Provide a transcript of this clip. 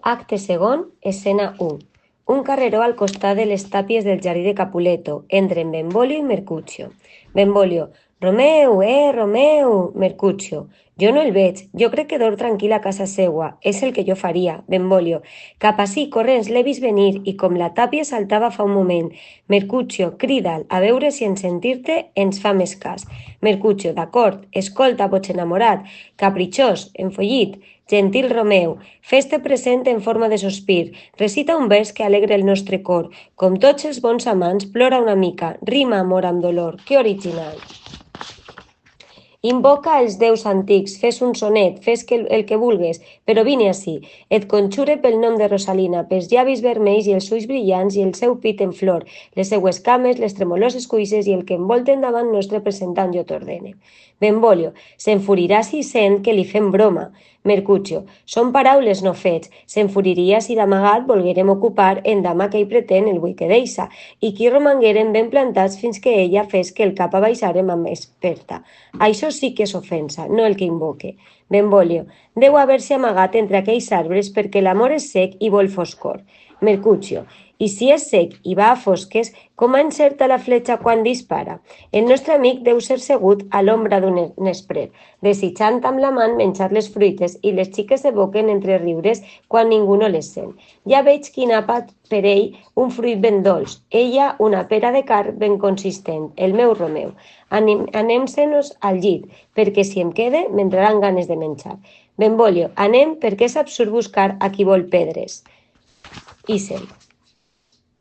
Acte segon, escena 1. Un carreró al costat de les tàpies del jardí de Capuleto. Entren Benvolio i Mercutio. Benvolio: Romeu, Romeu! Mercutio: jo no el veig, jo crec que dorm tranquil a casa seua, és el que jo faria. Benvolio: cap ací, corrents, l'he vist venir, i com la tàpia saltava fa un moment. Mercutio: crida'l, a veure si en sentir-te ens fa més cas. Mercutio: d'acord, escolta, boig enamorat, capritxós, enfollit, gentil Romeu, fes-te present en forma de sospir, recita un vers que alegre el nostre cor. Com tots els bons amants, plora una mica, rima amor amb dolor. Que original! Invoca els déus antics, fes un sonet, fes el que vulgues, però vine ací. Et conjure pel nom de Rosalina, pels llavis vermells i els ulls brillants i el seu pit en flor, les seues cames, les tremoloses cuisses i el que envolten davant nostre presentant jo t'ordene. Benvolio: s'enfurirà si sent que li fem broma. Mercutio: són paraules no fets. S'enfuriria si d'amagat volguérem ocupar en dama que hi pretén el vull que deixa, i qui romanguérem ben plantats fins que ella fes que el cap abaixarem amb experta. Això sí que és ofensa, no el que invoque. Benvolio: deu haver-se amagat entre aquells arbres perquè l'amor és sec i vol foscor. Mercutio: i si és sec i va a fosques, com encerta la fletxa quan dispara? El nostre amic deu ser segut a l'ombra d'un esprer, desitjant amb la mà menjar les fruites i les xiques evoquen entre riures quan ningú no les sent. Ja veig quin àpat per ell un fruit ben dolç, ella una pera de carn ben consistent, el meu Romeu. Anem-se-nos al llit, perquè si em quede m'entraran ganes de menjar. Benvolio: anem perquè és absurd buscar a qui vol pedres. Ixen.